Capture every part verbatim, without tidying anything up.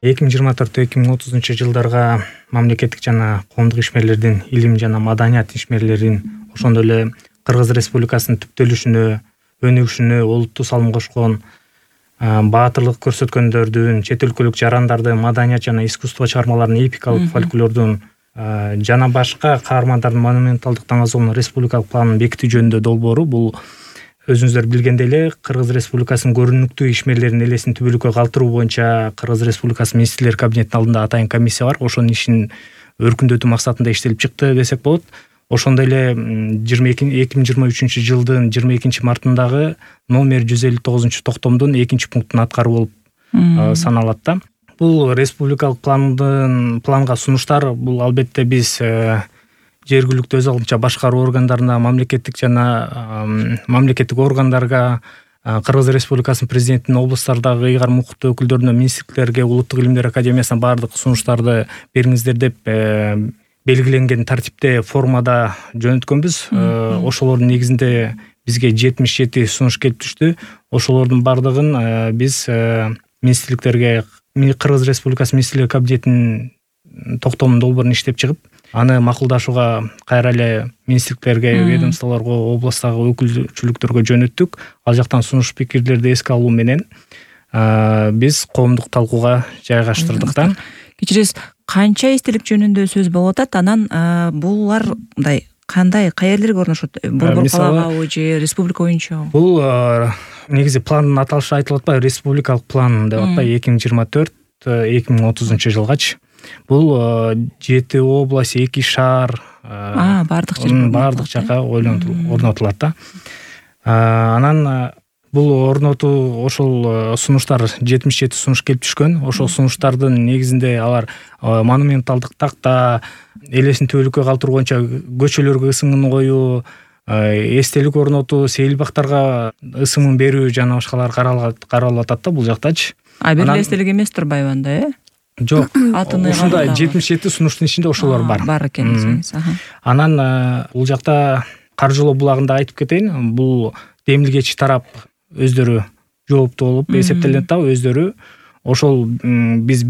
эки миң жыйырма төрт эки миң отузунчу жылдарга мамлекеттик жана коомдук ишмерлердин, илим жана маданият ишмерлерин, ошондой эле Кыргыз Республикасынын түптөлүшүнө, өнүгүшүнө олуттуу салым кошкон, баатырлык көрсөткөндөрдүн, чет өлкөлүк жарандардын маданият жана искусство чыгармаларынын, эпикалык фольклордун жана башка каармандардын монументалдык таңазолунун республикалык планын бекитүү жөнүндө долбоору бул өзүңүздөр билгендей эле Кыргыз Республикасынын көрүнүктүү ишмерлеринин элесин түбөлүккө калтыруу боюнча Кыргыз Республикасы Министрлер кабинетинин алдында атайын комиссия бар. Ошонун ишин өркүндөтүү максатында иштелип чыкты десек болот. Ошондой эле эки миң жыйырма үчүнчү жылдын жыйырма экинчи мартындагы номер жүз элүү тогузунчу токтомдун экинчи пунктун аткаруу болуп саналат да. Бул республикалык пландын планга сунуштар бул албетте биз жергиликтүү өз алдынча башкаруу органдарына, мамлекеттик жана мамлекеттик органдарга, Кыргыз Республикасынын президентинин облустардагы ыйгар мукуттуу өкүлдөрүнө, министрликтерге, Улуттук илимдер академиясына баардык сунуштарды бериңиздер деп белгиленген тартипте формада жөнөткөнбүз. Ошолордун негизинде бизге жетимиш жети сунуш келип түштү. Ошолордун баардыгын биз министрликтерге, Кыргыз Республикасы Министрлер кабинетинин токтомунун долбоорун иштеп чыгып, аны макулдашууга кайра эле министрликтерге, ведомстволорго, областтагы өкүлчүлүктөргө жөнөттүк. Ал жактан сунуш пикирлерди эске алуу менен биз коомдук талкууга жайгаштырдык да. Кечиресиз, канча эстелик жөнүндө сөз болуп атат? Анан булар мындай кандай, каерлерге орношот? Борбор калабы же республика боюнча? Бул негизи пландын аталышы айтылып атпайбы, республикалык план деп атпайбы, эки миң жыйырма төрт эки миң отузунчу жылгачы. Бул жети область, эки шаар, баардык жер баардык жака орнотулат да. Анан бул орнотуу, ошол сунуштар жетимиш жети сунуш келип түшкөн. Ошол сунуштардын негизинде алар монументалдык такта, элесин түбөлүккө калтыруу боюнча көчөлөргө ысымын коюу, эстелик орнотуу, сейил бактарга ысымын берүү жана башкалар каралып атат да бул жактачы. А бир эле эстелик эмес турбайбы анда, э? Жок. Ушундай жетимиш жети сунуштун ичинде ошолор бар. Бар экен десеңиз. Анан бул жакта каржылоо булагында айтып кетейин. Бул демилгечи тарап өздөрү жооптуу болуп эсептелет да, өздөрү. Ошол биз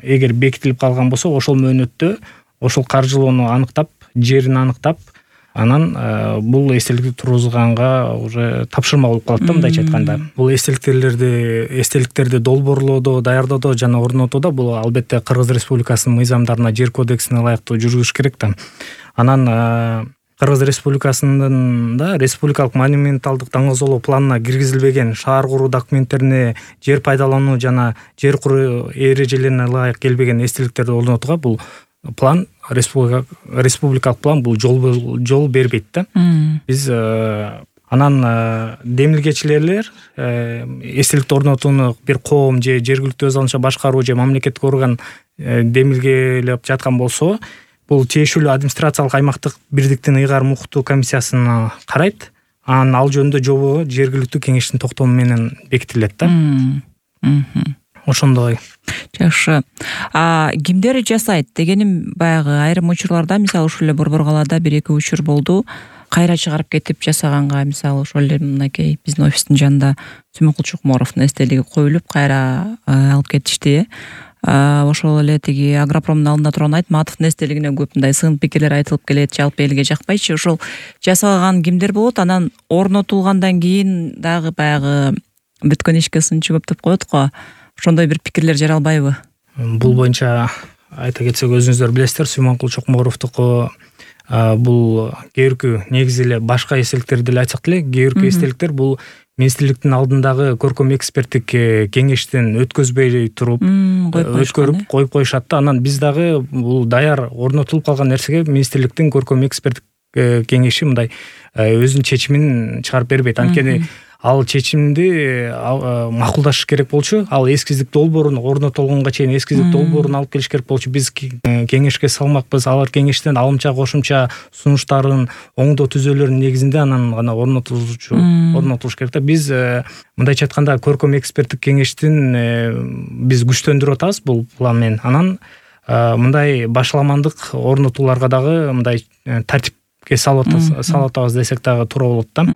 эгер бекитилип калган болсо, ошол мөөнөттө ошол каржылоону аныктап, жерин аныктап, анан бул эстеликти тургузганга уже тапшырма болуп калат да, мындайча айтканда. Бул эстеликтерди эстеликтерди долбоорлоодо, даярдоодо жана орнотууда бул албетте Кыргыз Республикасынын мыйзамдарына, жер кодексине ылайыктуу жүргүзүш керек да. Анан Кыргыз Республикасынын да республикалык монументалдык таңазолоо планына киргизилбеген шаар куруу документтерине, жер пайдалануу жана жер куруу эрежелерине ылайык келбеген эстеликтерди орнотууга бул план, республикалык план бул жол жол бербейт да. Биз анан демилгечилер эстеликти орнотууну бир коом же жергиликтүү өз алдынча башкаруу же мамлекеттик орган демилгелеп жаткан болсо, бул тиешелүү администрациялык аймактык бирдиктин ыйгар мукуттуу комиссиясына карайт. Анан ал жөнүндө жобо жергиликтүү кеңештин токтому менен бекитилет да. Ошондой. Жакшы. А кимдер жасайт дегеним, баягы айрым учурларда, мисалы ушул эле Борбор калаада бир эки учур болду. Кайра чыгарып кетип жасаганга, мисалы ошол эле мынакей биздин офистин жанында Сүмөнкул Чокморовдун эстелиги коюлуп, кайра алып кетишти. Ошол эле тиги Агропромдун алдында турган Айтматовдун эстелигине көп мындай сын пикирлер айтылып келет, жалпы элге жакпайчы. Ошол жасалган кимдер болот? Анан орнотулгандан кийин дагы баягы бүткөн ишке сынчы көп деп коет го. Ошондой бир пикирлер жаралбайбы? Бул боюнча айта кетсек, өзүңүздөр билесиздер, Сүмөнкул Чокморовдуку бул кээ негизи эле башка эстеликтерди эле айтсак деле, кээ эстеликтер бул министрликтин алдындагы көркөм эксперттик кеңештен өткөзбөй туруп, өткөрүп коюп коюшат да. Анан биз дагы бул даяр орнотулуп калган нерсеге министрликтин көркөм эксперттик кеңеши мындай өзүнүн чечимин чыгарып бербейт. Анткени ал чечимди макулдаш керек болчу. Ал эскиздик долбоорун орнотулганга чейин эскиздик долбоорун алып келиш керек болчу. Биз кеңешке салмакпыз. Алар кеңештен алымча кошумча сунуштарын, оңдоо түзөөлөрүнүн негизинде анан гана орнотулчу орнотулуш керек да. Биз мындайча айтканда көркөм эксперттик кеңештин биз күчтөндүрүп атабыз бул план менен. Анан мындай башаламандык орнотууларга дагы мындай тартипке салып атабыз десек дагы туура болот да.